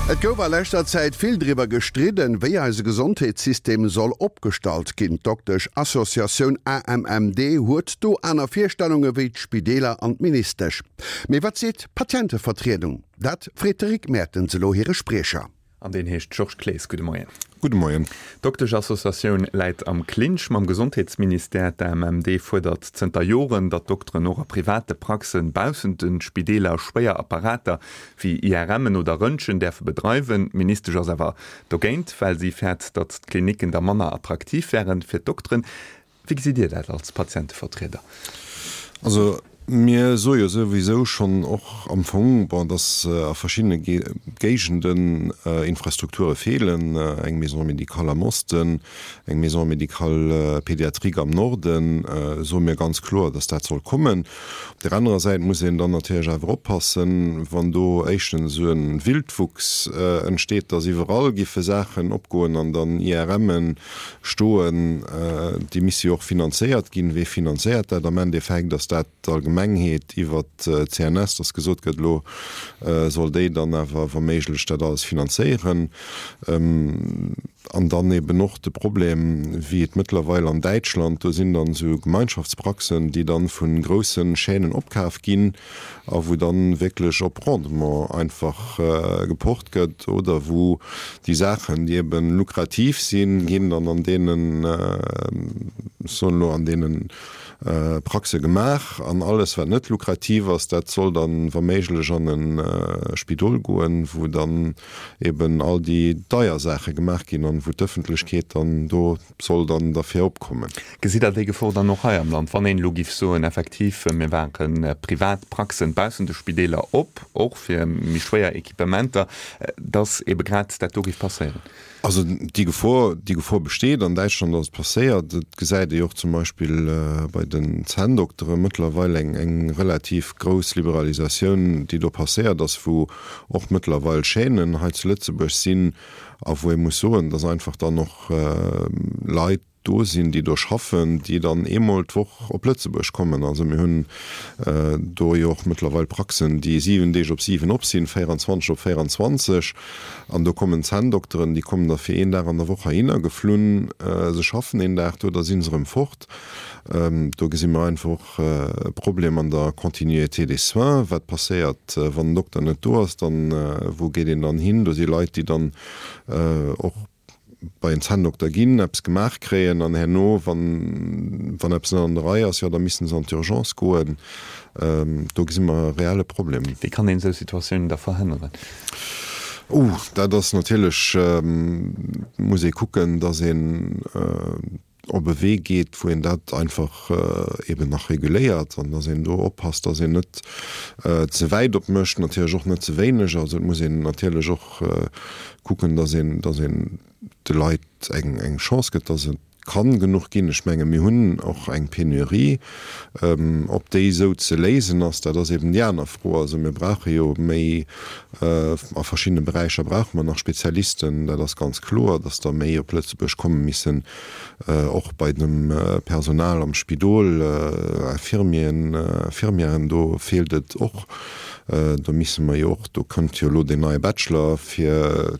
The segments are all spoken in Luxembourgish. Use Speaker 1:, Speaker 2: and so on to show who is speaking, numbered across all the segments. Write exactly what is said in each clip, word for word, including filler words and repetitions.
Speaker 1: Et gouf a leschter Zäit vill driwwer gestridden, wéi eise Gesondheetssystem soll opgestallt ginn. D'Doktesch-Associatioun A M M D huet do aner Virstellunge wéi d'Spideeler an d'Ministesch. Mee wat seet d'Patientevertriedung? Dat freet de Rick Mertens elo hire Spriecher.
Speaker 2: An deen heescht Georges Clees. Gudde Moien.
Speaker 3: Gudde Moien.
Speaker 2: D'Doktesch-Associatioun läit am Clinch mam Gesondheetsministère. D'A M M D fuerdert zënter Joren, datt Dokteren och a private Praxen baussent de Spideeler schwéier Apparater wéi I R M'en oder Röntgen däerfe bedreiwen. D'Ministesch ass awer dogéint, well si fäert, datt d'Klinicken da manner attraktiv wären fir d'Dokteren. Wéi gesitt Dir dat als Patientevertrieder?
Speaker 3: Also mir soe jo souwisou schonn och am Fong, bon, dass a verschiddene Géigenden Infrastrukture feelen, eng Maison médicale am Osten, eng Maison médicale pédiatrique am Norden, soe mir ganz kloer, dass dat soll kommen. Op där anerer Säit muss een dann natierlech awer oppassen, wann do éischtens esou e Wildwuchs entsteet, dass iwwerall giffe Saachen opgoen an dann I R M'en stoen, déi misse jo och finanzéiert ginn. Wee finanzéiert dat am Endeffekt? Ass dat d'Allgemengheet iwwer d'C N S, dass gesot gëtt, elo soll déi dann awer wa méiglech dat alles finanzéieren? An dann eben och de Problem, wéi et mëttlerweil an Däitschland, do sinn dann esou Gemeinschaftspraxen, déi dann vu grousse Chaînen opkaf ginn a wou dann wierklech op Rendement einfach gepocht gëtt oder wou déi Saachen, déi eben lukrativ sinn, ginn dann an deenen, ech soen elo, an deenen Praxe gemaach an alles wat net lukrativ ass, dat soll dann wa méiglech an e Spidol goen, wou dann eben all déi deier Saache gemaach ginn an wou d'Ëffentlechkeet dann do soll dann derfir opkommen.
Speaker 2: Gesitt Der déi Gefor dann och hei am Land, wann een elo giff soen, effektiv mir maache privat Praxen baussent de Spideeler op, och fir méi schwéier Equipementer, dass ebe grad dat do giff passéieren?
Speaker 3: Also déi Gefor, déi Gefor besteet. An Däitschland ass et passéiert. Et gesäit ee jo och zum Beispill bei den Zänndoktere mëttlerweil eng, eng relativ grouss Liberalisatioun, déi do passéiert ass, wou och mëttlerweil Chaînen hei zu Lëtzebuerg sinn a wou ee muss soen, dass einfach dann och Leit do sinn, déi do schaffen, déi dann eemol d'Woch op Lëtzebuerg kommen. Also mir hunn do jo och mëttlerweil Praxen, déi siwen Deeg op siwen op sinn, véieranzwanzeg op véieranzwanzeg. An do kommen Zännddokteren, déi kommen da fir een Dag an der Woch heihinner geflunn, se schaffen een Dag do, da si se erëm fort. Do gesi mer einfach och e Problem an der Continuité des soins. Wat passéiert, wann den Dokter net do ass? Dann, wou geet een dann hin? Do si Leit, déi dann och bei en Zänndokter ginn, eppes gemaach kréien an herno, wann, wann eppes net an der Rei ass, jo da missten se an d'Urgence goen. Do gesi mer e reelle Problem.
Speaker 2: Wéi kann een esou Situatiounen da verhënneren?
Speaker 3: Oh, dat ass natierlech, muss ee kucken, datt een op e Wee geet, wou een dat einfach eben nach reguléiert an datt een do oppasst, datt een net ze wäit opmécht, natierlech och net ze wéineg. Also et muss een natierlech och kucken, datt een, datt een de Leit eng, eng Chance gëtt, datt et kann genuch ginn. Ech menge mir hunn och eng Penurie. Ob déi esou ze léisen ass, dat ass eben déi aner Fro. Also mir brauche jo méi, a verschiddene Beräicher brauche mer nach Spezialisten, dat ass ganz kloer, datt der méi op Lëtzebuerg komme missen, och bei dem Personal am Spidol, Infirmieren, Infirmièren, do feelt et och. Do misse mer jo och, do kënnt jo elo deen neie Bachelor fir,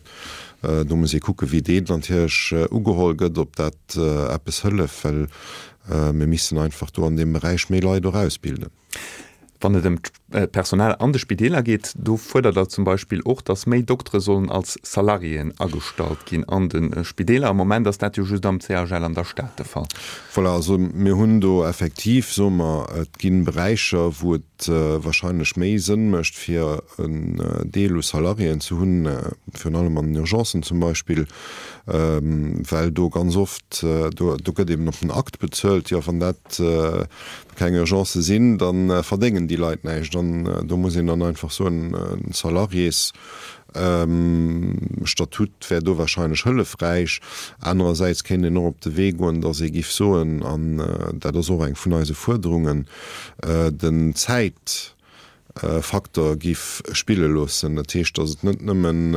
Speaker 3: do muss ee kucke wéi deen natierlech ugeholl gëtt, ob dat eppes hëlleft, well mir missen einfach do an deem Beräich méi Leit och ausbilden.
Speaker 2: Wann et ëm d'Personal an de Spideeler geet, do fuerdert Der zum Beispill och, datt méi Doktere sollen als Salariéen agestallt ginn an de Spideeler. Am Moment ass dat jo just am C H L an der Stad de Fall.
Speaker 3: Voilà, also mir hunn do effektiv, soe mer, et gi Beräicher, wou et wahrscheinlech méi Sënn mécht, fir en Deel u Salariéen ze hunn, virun allem an den Urgencen zum Beispill, well do ganz oft, do gëtt eben op den Akt bezuelt. Jo, wann dat keng Urgence sinn, da verdéngen déi Leit näischt. An do muss een dann einfach soen, e Salariésstatut wär do wahrscheinlech hëllefräich. Anerersäits kéint een och op de Wee goen, datt ee giff soen, an dat ass och eng vun eise Fuerderungen, den Zäitfaktor giff spille loossen. Dat heescht, datt et net nëmmen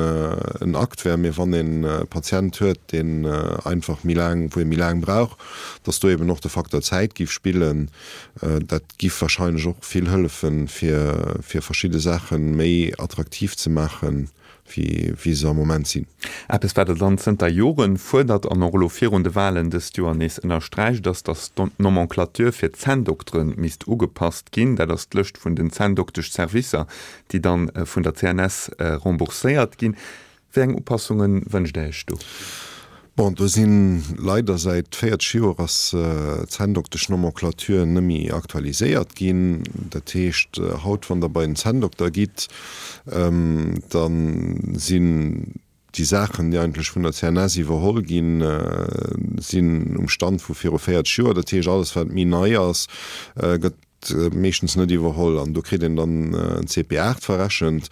Speaker 3: en Akt wär, mee wann een e Patient huet, deen einfach méi laang, wou ee méi laang brauch, datt do eben och de Faktor Zäit giff spillen. Dat giff wahrscheinlech och vill hëllefen, fir, fir verschidde Saache méi attraktiv ze maachen. wéi se am Moment sinn.
Speaker 2: Eppes, wat Der dann zënter Joren fuerdert an och elo virun de Wahlen dëst Joer nees ënnersträicht, ass, datt d'Nomenclature fir d'Zänndoktere misst ugepasst ginn. Dat ass d'Lëscht vun den Zänndoktesch-Servicer, déi dann vun der C N S rembourséiert ginn. Wéi eng Upassunge wënscht Der Iech do?
Speaker 3: Bon, do si leider säit véierzeg Joer ass d'Zänndoktesch-Nomenclature net méi aktualiséiert ginn. Dat heescht, haut, wann Der bei en Zänndokter gitt, da sinn déi Saachen, déi eigentlech vun der C N S iwwerholl ginn, sinn um Stand vu viru véierzeg Joer. Dat heescht, alles, wat méi nei ass, gëtt meeschtens net iwwerholl an do kritt een dann en C P aacht verrechent.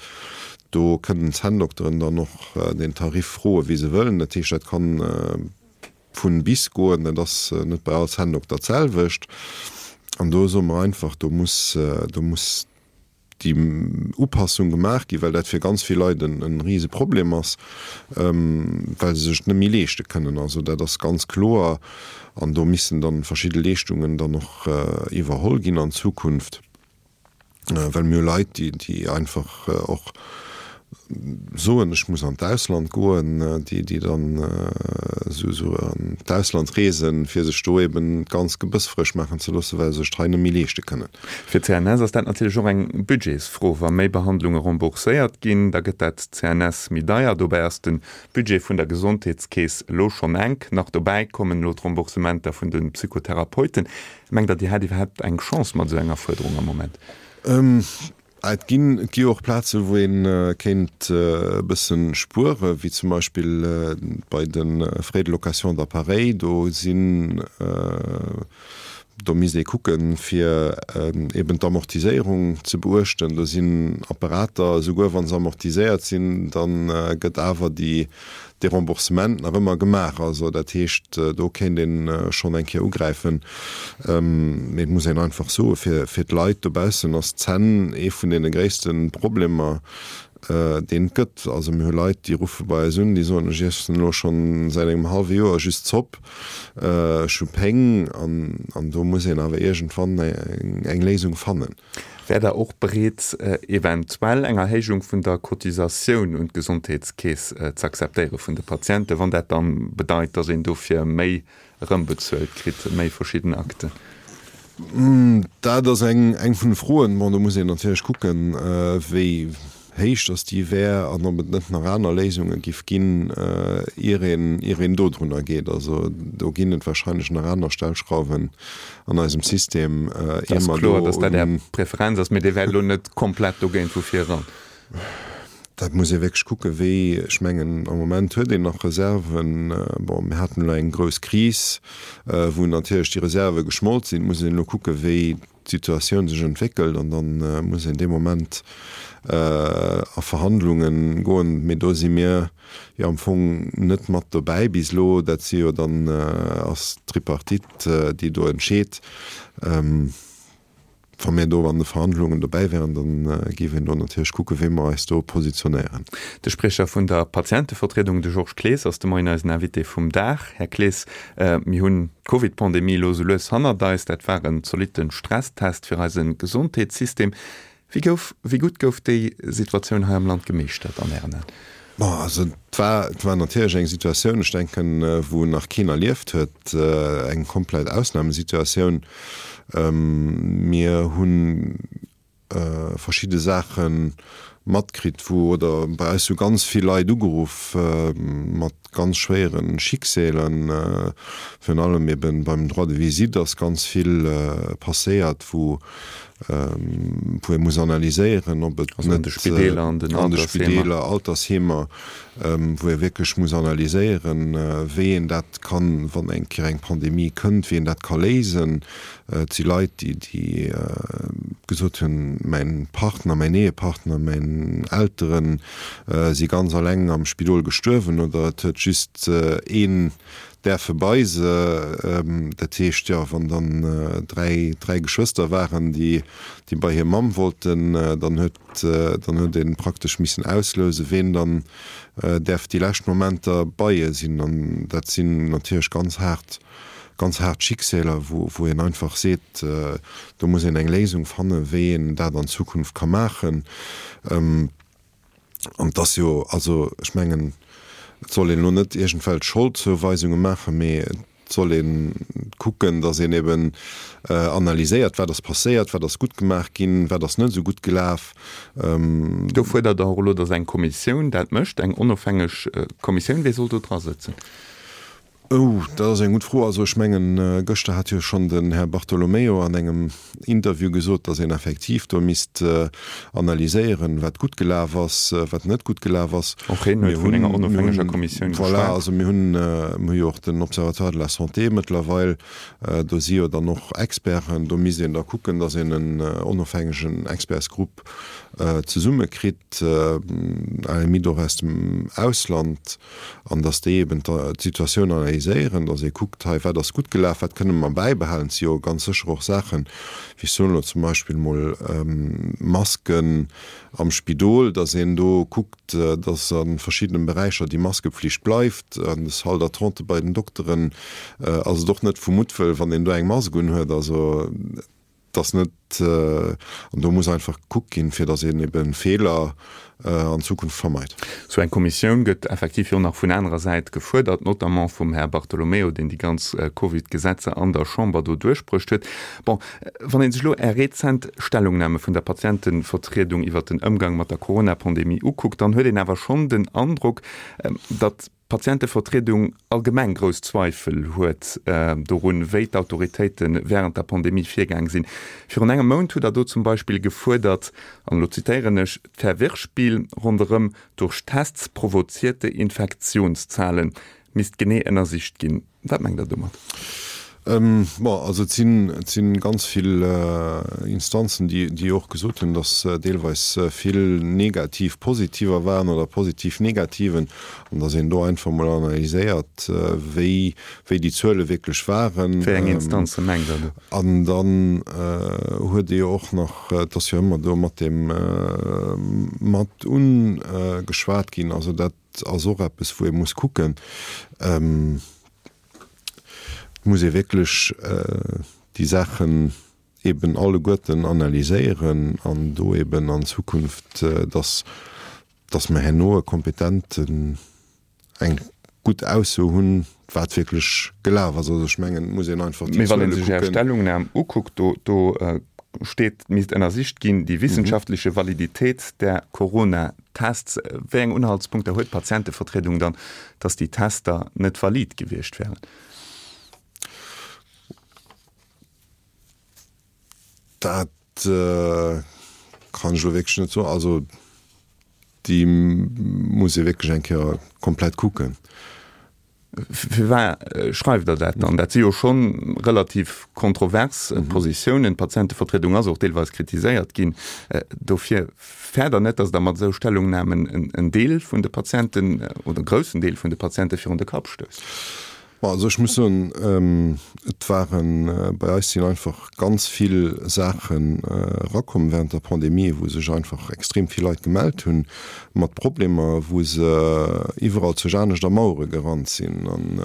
Speaker 3: Do kënnen d'Zänndokteren dann och den Tarif froe wéi se wëllen. Dat heescht, dat kann vun bis goen, dat ass net bei all Zänndokter d'selwecht. An do soe mer einfach, do muss do muss déi Upassung gemaach ginn, well dat fir ganz vill Leit en e Riseproblem ass, well se sech et net méi leeschte kënnen. Also dat ass ganz kloer an do missen dann verschidde Leeschtungen dann och iwwerholl ginn an Zukunft. Well mir hu Leit, déi déi einfach och soen, ech muss an d'Ausland goen, déi déi dann esou esou an d'Ausland reesen, fir sech do eben d'ganz Gebëss frësch maachen ze loossen, well se sech et hei net méi leeschte kënnen.
Speaker 2: Fir d'C N S ass dat natierlech och eng Budgetsfro. Wa méi Behandlunge rembourséiert ginn, da gëtt dat d'C N S méi deier. Dobäi ass de Budget vun der Gesondheetskeess elo schonn enk. Nach dobäi kommen elo d'Remboursementer vun de Psychotherapeuten. Mengt Der, Dir hätt iwwerhaapt eng Chance mat esou enger Fuerderung am Moment?
Speaker 3: Et ginn, et gi jo och Plaze wou ee kéint e bësse spueren, wéi zum Beispill bei de Frais de location d'appareils. Do sinn, do misst ee kucken, fir eben d'Amortiséierung ze beuechten. Do sinn Apparater, esouguer wa se amortiséiert sinn, da gëtt awer déi, dee Remboursement nach ëmmer gemaach. Also dat heescht, do kéint ee schonn eng Kéier ugräifen. Mee et muss een einfach soen, fir, fir d'Leit dobaussen ass d'Zänn ee vun deene gréisste Problemer, deen et gëtt. Also mir hu Leit, déi ruffe bei eis un, déi soen, ech iessen elo schonn säit engem hallwe Joer just Zopp, ech hu Péng. An, an do muss een awer iergendwann eng, eng Léisung fannen.
Speaker 2: Wäert Der och bereet, eventuell eng Erhéijung vun der Cotisatioun un d'Gesondheetskeess ze akzeptéiere vun de Patienten, wann dat dann bedeit, dass een dofir méi erëmbezuelt kritt, méi verschidden Akten?
Speaker 3: Dat ass eng eng vun de Froen. Bon, do muss een natierlech kucken, wéi héich dass déi wär an ob et net nach aner Léisunge giff ginn, ier een ier een dodrunner geet. Also do ginn et wahrscheinlech nach aner Stellschrauwen an eisem System,
Speaker 2: Et ier ass mer kloer, do dass dat Är un. Preferenz ass, mee Dir wäert elo net komplett dogéint vu vir eran.
Speaker 3: Dat muss ee wierklech kucken, wéi, ech mengen, am Moment huet een nach Reserven. Bon, mir haten elo eng grouss Kris, wou natierlech déi Reserve geschmolt sinn. Et muss een elo kucken, wéi d'Situatioun sech entwéckelt an da muss een dee Moment a Verhandlunge goen. Mee do si mir jo am Fong net mat dobäi bis elo. Dat si jo dann, ass d'Tripartite, déi do entscheet. Wa mir do an de Verhandlungen dobäi wären, da géif een do natierlech kucken, wéi mer eis do positionéieren.
Speaker 2: De Spriecher vun der Patientevertriedung, de Georges Clees, ass de Moien eisen Invité vum Dag. Här Clees, mir hunn d'Covid-Pandemie elo sou lues hannert eis. Dat war en zolitte Stresstest fir eise Gesondheetssystem. Wéi gouf, wéi gutt gouf déi Situatioun hei am Land gemeeschtert an Ären Aen?
Speaker 3: Bon, also et war, et war natierlech eng Situatioun, ech denken, wou nach keen erlieft huet, eng komplett Ausnamesituatioun. Mir hu verschidde Saache matkritt, wou, oder bei eis hu ganz vill Leit ugeruff mat ganz schwéiere Schicksälen, virun allem eben beim Droit de visite ass ganz vill passéiert, wou wou ee muss analyséieren, ob et
Speaker 2: Also an de
Speaker 3: net
Speaker 2: Spideeler, an den
Speaker 3: an de
Speaker 2: Altersheemer.
Speaker 3: Spideeler, Altersheemer, wou ee wierklech muss analyséieren, wéi een dat kann, wann eng Kéier eng Pandemie kënnt, wéi een dat ka léisen. Et si Leit, déi déi gesot hunn, mäin Partner, mäin Ehepartner, mäin Elteren si ganz alleng am Spidol gestuerwen oder et huet just een däerfe bei se. Dat heescht, jo, wann dann dräi dräi Geschwëster waren, déi déi bei hir Mamm wollten, dann huet dann huet ee praktesch missen auslousen, ween dann däerf déi lescht Momenter bei hir sinn. An dat sinn natierlech ganz haart ganz haart Schicksäler, wou wou een einfach seet, do muss een eng Léisung fannen, wéi een dat an Zukunft ka maachen. An et ass jo, also ech mengen, et soll een elo net iergendwelch Scholdzouweisunge maachen, mee et soll ee kucken, datt een eben analyséiert, wat ass passéiert, wat ass gutt gemaach ginn, wat ass net esou gutt gelaf.
Speaker 2: Do fuerdert Der och elo, datt eng Kommissioun dat mécht, eng onofhängeg Kommissioun. Wie soll do dra sëtzen?
Speaker 3: Oh, dat ass eng gutt Fro. Also ech mengen, gëschter hat jo schonn den Här Bartolomeo an engem Interview gesot, datt een effektiv do misst analyséieren, wat gutt gelaf ass, wat net gutt gelaf ass.
Speaker 2: Och hien huet vun enger onofhängeger Kommissioun
Speaker 3: geschwat. Voilà, also mir hunn, mir hu jo och den Observatoire de la Santé mëttlerweil, do si jo dann och Experten. Do misst een da kucken, datt een en onofhängegen Expertsgrupp zesummekritt, à la limite och aus dem Ausland, an datt déi eben d'Situatioun analyséieren, datt ee kuckt, hei wat ass gutt gelaf, wat kënne mer bäibehalen. Et si jo ganz sécher och Saachen, wéi ech soen elo zum Beispill emol Masken am Spidol, datt een do kuckt, datt a verschiddene Beräicher déi Maskepflicht bleift. An de Salle d'attente bei den Dokteren ass et och net vu Muttwëll, wann een do eng Mask unhuet. Also Et ass net, an do muss einfach gekuckt ginn, fir datt een ebe Feeler an Zukunft vermeit.
Speaker 2: Esou eng Kommissioun gëtt effektiv jo nach vun anerer Säit gefuerdert, notamment vum Här Bartolomeo, deen déi ganz Covid-Gesetzer an der Chamber do duerchbruecht huet. Bon, wann ee sech elo Är rezent Stellungname vun der Patientevertriedung iwwert den Ëmgang mat der Corona-Pandemie ukuckt, dann huet een awer schonn den Androck, datt d'Patientevertriedung allgemeng grouss Zweifel huet dorun, wéi d'Autoritéite wärend der Pandemie virgaang sinn. Virun engem Mount hutt Der do zum Beispill gefuerdert, an elo zitéieren ech, D'Verwirrspiel ronderëm durch Tests provozierte Infektionszahlen misst genee ënnersicht ginn. Wat mengt Der domat?
Speaker 3: Bon, also et sinn, et si ganz vill Instanzen, déi, déi och gesot hunn, datt deelweis vill negativ Positiver waren oder positiv Negativen, an datt een do einfach emol analyséiert, wéi, wéi déi Zuele wierklech waren.
Speaker 2: Wéi eng Instanze mengt Der do?
Speaker 3: An dann huet ee jo och nach, et ass jo ëmmer do mat deem mat ugeschwat ginn, also dat ass och eppes, wou ee muss kucken. Et muss ee wierklech déi Saachen eben alleguerten analyséieren an do eben an Zukunft, dass, dass mer herno e kompetenten, eng gutt Ausso hunn, wat wierklech gelaf ass. Also ech mengen, et muss een einfach
Speaker 2: déi Zuele kucken. Mee wann ee sech Är Stellungnam ukuckt, do, do steet, misst ënnersicht ginn, die wissenschaftliche Validität der Corona-Tests. Wéi eng Unhaltspunkter huet d'Patientevertriedung dann, dass déi Tester net valid gewiescht wären?
Speaker 3: Dat kann ech elo wierklech net soen. Also déi muss ee wierklech eng Kéier komplett kucken.
Speaker 2: Firwat schreift Der dat dann? Dat si jo scho relativ kontrovers Positiounen. D'Patientevertriedung ass och deelweis kritiséiert ginn dofir. Fäert Der net, datt Der mat esou Stellungnamen en Deel vun de Patienten oder e groussen Deel vun de Patiente virun de Kapp stousst?
Speaker 3: Bon, also ech muss soen, et waren, bei eis sinn einfach ganz vill Saachen erakomm während der Pandemie, wou sech einfach extrem vill Leit gemellt hunn mat Problemer, wou se iwwerall zu anescht a Mauere gerannt sinn. An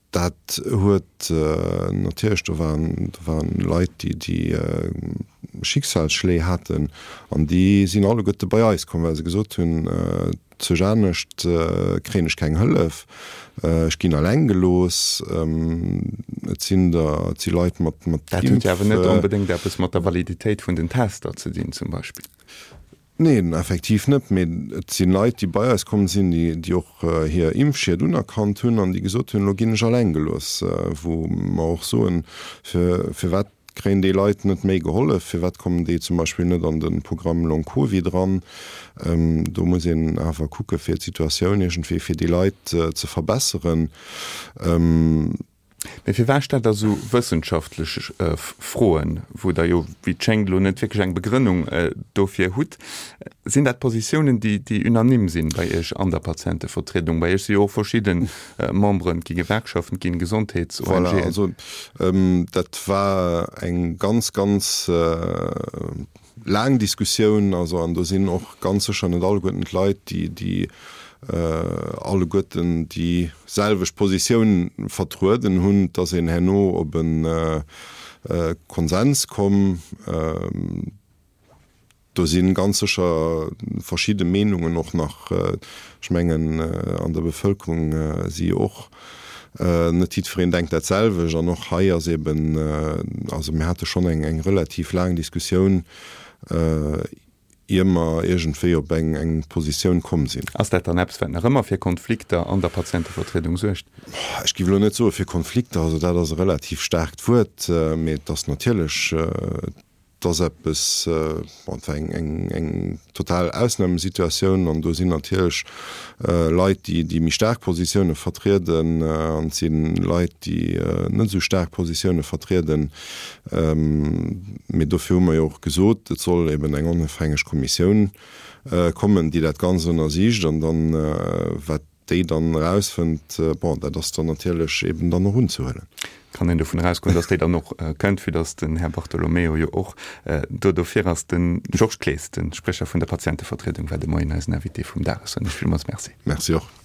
Speaker 3: dat huet natierlech, do waren, do waren Leit, déi, déi Schicksalsschléi haten an déi sinn alleguerte bei eis komm, well se gesot hunn, Zu anescht kréien ech keng Hëllef, ech ginn alleng gelooss, et sinn der, et si Leit mat, mat
Speaker 2: Dat huet jo awer net onbedéngt eppes mat der Validitéit vun den Tester ze dinn zum Beispill.
Speaker 3: Neen, effektiv net, mee et si Leit, déi bei eis komm sinn, déi, déi och hir Impfschied unerkannt hunn an déi gesot hunn, elo ginn ech alleng gelooss, wou mer och soen, fir, firwat Kréien déi Leit net méi gehollef? Firwat kommen déi zum Beispill net an de Programm Long Covid eran? Do muss een awer kucke fir d'Situatioun iergendwéi fir déi Leit ze verbesseren.
Speaker 2: Mee firwat stellt Der esou wëssenschaftlech Froen, wou Der jo, wéi et schéngt, elo net wierklech eng Begrënnung dofir hutt? Sinn dat Positiounen, déi unanime sinn bei Iech an der Patientevertriedung? Bei Iech si jo och verschidde Memberen, et gi Gewerkschaften, et ginn Gesondheets-ONGen.
Speaker 3: Voilà, also dat war eng ganz, ganz laang Diskussioun. Also, an do sinn och ganz sécher net alleguerten d'Leit, déi, déi alleguerten déi selwecht Positioun vertrueden hunn. Et ass een herno op e Konsens komm. Do si ganz sécher verschidde Meenungen och nach, ech mengen an der Bevëlkerung si och net jiddwereen denkt dat selwecht an och hei ass eben, also mir hate schonn eng eng relativ laang Diskussioun, ier mer iergendwéi op eng eng Positioun komm sinn.
Speaker 2: Ass dat dann eppes, wat nach ëmmer fir Konflikter an der Patientevertriedung suergt?
Speaker 3: Ech géif elo net soe fir Konflikter, also dat ass e relativ staarkt Wuert, mee et ass natierlech, et ass eppes, bon, et war eng eng eng total Ausnamesituatioun an do sinn natierlech Leit, déi déi méi staark Positioune vertrieden an et si Leit, déi net esou staark Positioune vertrieden. Mee dofir hu mer jo och gesot, et soll eben eng onofhängeg Kommissioun kommen, déi dat Ganzt ënnersicht an dann, wat déi dann erausfënnt, bon, dat ass dann natierlech eben dann och unzehuelen.
Speaker 2: Kann een dovun erausgoen, datt déi dann och kënnt, vue datt den Här Bartolomeo jo och do dofir ass. De Georges Clees, de Sprecher vun der Patientevertriedung, war de Moien eisen Invité vum Dag. Ech soen Iech villmools Merci.
Speaker 3: Merci och.